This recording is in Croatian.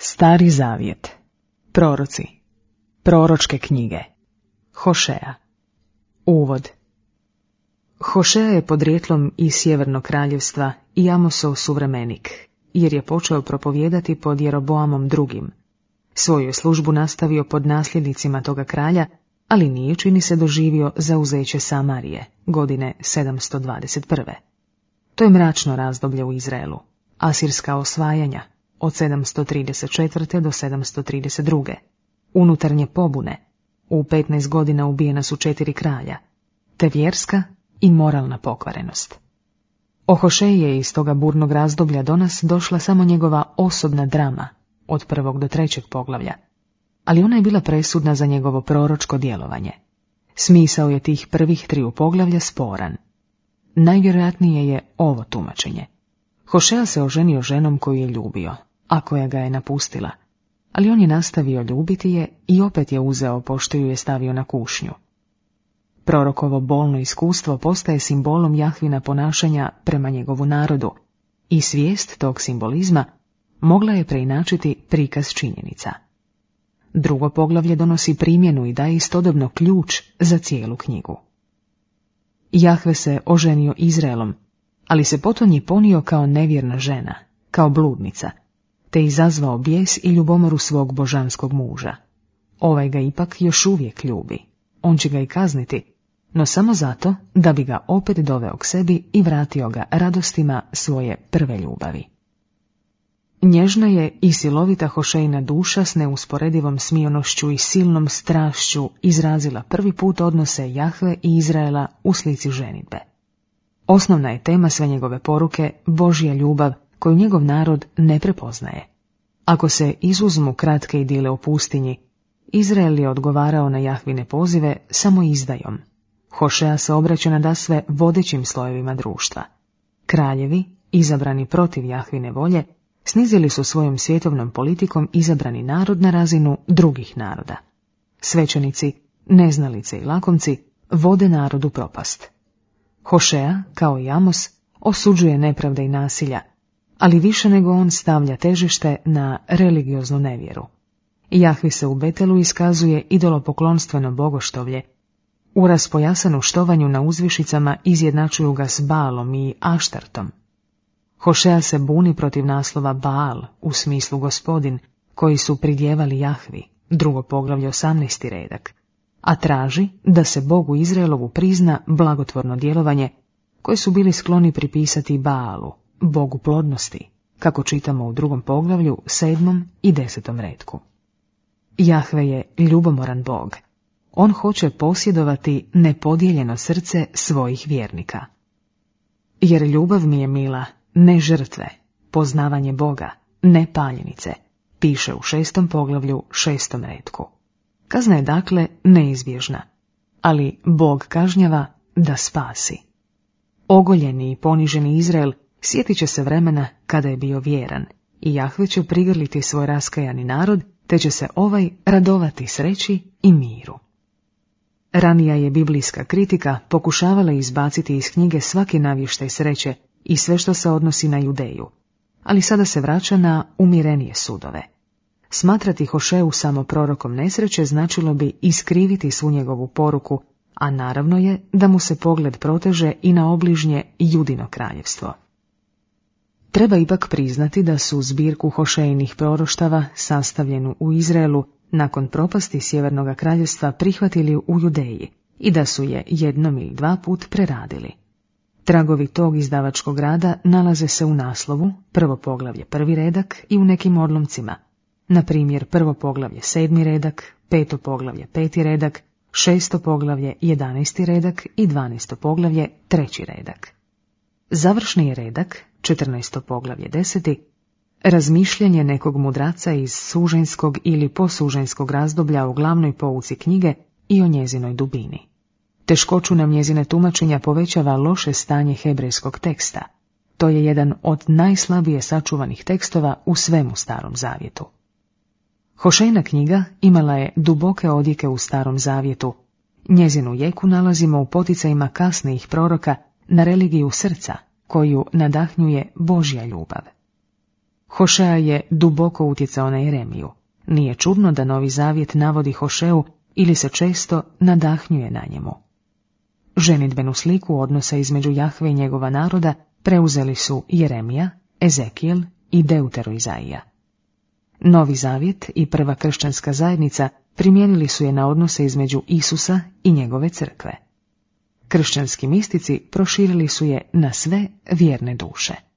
Stari zavjet. Proroci. Proročke knjige. Hošeja. Uvod. Hošeja je podrijetlom iz Sjevernog kraljevstva i Amosov suvremenik, jer je počeo propovijedati pod Jeroboamom II. Svoju je službu nastavio pod nasljednicima toga kralja, ali nije, čini se, doživio zauzeće Samarije, godine 721. To je mračno razdoblje u Izraelu, asirska osvajanja, od 734. do 732. Unutarnje pobune, u 15 godina ubijena su 4 kralja, te vjerska i moralna pokvarenost. O Hošeji je iz toga burnog razdoblja do nas došla samo njegova osobna drama, od 1. do 3. poglavlja, ali ona je bila presudna za njegovo proročko djelovanje. Smisao je tih prvih 3 poglavlja sporan. Najvjerojatnije je ovo tumačenje. Hošeja se oženio ženom koju je ljubio, a koja ga je napustila, ali on je nastavio ljubiti je i opet je uzeo pošto ju je stavio na kušnju. Prorokovo bolno iskustvo postaje simbolom Jahvina ponašanja prema njegovu narodu i svijest tog simbolizma mogla je preinačiti prikaz činjenica. 2. poglavlje donosi primjenu i daje istodobno ključ za cijelu knjigu. Jahve se oženio Izraelom, ali se potonji ponio kao nevjerna žena, kao bludnica, te izazvao bijes i ljubomoru svog božanskog muža. Ovaj ga ipak još uvijek ljubi, on će ga i kazniti, no samo zato da bi ga opet doveo k sebi i vratio ga radostima svoje prve ljubavi. Nježna je i silovita Hošejina duša s neusporedivom smijonošću i silnom strašću izrazila prvi put odnose Jahve i Izraela u slici ženidbe. Osnovna je tema sve njegove poruke Božja ljubav koju njegov narod ne prepoznaje. Ako se izuzmu kratke idile o pustinji, Izrael je odgovarao na Jahvine pozive samo izdajom. Hošeja se obraća nadasve vodećim slojevima društva. Kraljevi, izabrani protiv Jahvine volje, snizili su svojom svjetovnom politikom izabrani narod na razinu drugih naroda. Svećenici, neznalice i lakomci vode narodu propast. Hošeja, kao i Amos, osuđuje nepravde i nasilja, ali više nego on stavlja težište na religioznu nevjeru. Jahvi se u Betelu iskazuje idolopoklonstveno bogoštovlje, u raspojasanu štovanju na uzvišicama izjednačuju ga s Baalom i Aštartom. Hošeja se buni protiv naslova Baal, u smislu gospodin, koji su pridjevali Jahvi, 2. poglavlje 18. redak, a traži da se Bogu Izraelovu prizna blagotvorno djelovanje, koje su bili skloni pripisati Baalu, Bogu plodnosti, kako čitamo u 2. poglavlju 7. i 10. redku. Jahve je ljubomoran Bog. On hoće posjedovati nepodijeljeno srce svojih vjernika. Jer ljubav mi je mila, ne žrtve, poznavanje Boga, ne paljenice, piše u 6. poglavlju 6. redku. Kazna je dakle neizbježna, ali Bog kažnjava da spasi. Ogoljeni i poniženi Izrael sjetit će se vremena kada je bio vjeran i Jahve će prigrliti svoj raskajani narod, te će se ovaj radovati sreći i miru. Ranija je biblijska kritika pokušavala izbaciti iz knjige svaki navještaj sreće i sve što se odnosi na Judeju, ali sada se vraća na umjerenije sudove. Smatrati Hošeju samo prorokom nesreće značilo bi iskriviti svu njegovu poruku, a naravno je da mu se pogled proteže i na obližnje Judino kraljevstvo. Treba ipak priznati da su zbirku Hošejinih proroštava, sastavljenu u Izraelu, nakon propasti Sjevernog kraljevstva prihvatili u Judeji i da su je 1 ili 2 put preradili. Tragovi tog izdavačkog rada nalaze se u naslovu, 1. poglavlje 1. redak i u nekim odlomcima, na primjer 1. poglavlje 7. redak, 5. poglavlje 5. redak, 6. poglavlje 11. redak i 12. poglavlje 3. redak. Završni je redak, 14. poglavlje 10. razmišljanje nekog mudraca iz suženjskog ili posuženjskog razdoblja o glavnoj pouci knjige i o njezinoj dubini. Teškoću nam njezine tumačenja povećava loše stanje hebrejskog teksta. To je jedan od najslabije sačuvanih tekstova u svemu Starom zavjetu. Hošejina knjiga imala je duboke odjeke u Starom zavjetu. Njezinu jeku nalazimo u poticajima kasnijih proroka na religiju srca, koju nadahnjuje Božja ljubav. Hošea je duboko utjecao na Jeremiju. Nije čudno da Novi Zavjet navodi Hošeu ili se često nadahnjuje na njemu. Ženidbenu sliku odnosa između Jahve i njegova naroda preuzeli su Jeremija, Ezekijel i Deuteroizaija. Novi Zavjet i prva kršćanska zajednica primijenili su je na odnose između Isusa i njegove crkve. Kršćanski mistici proširili su je na sve vjerne duše.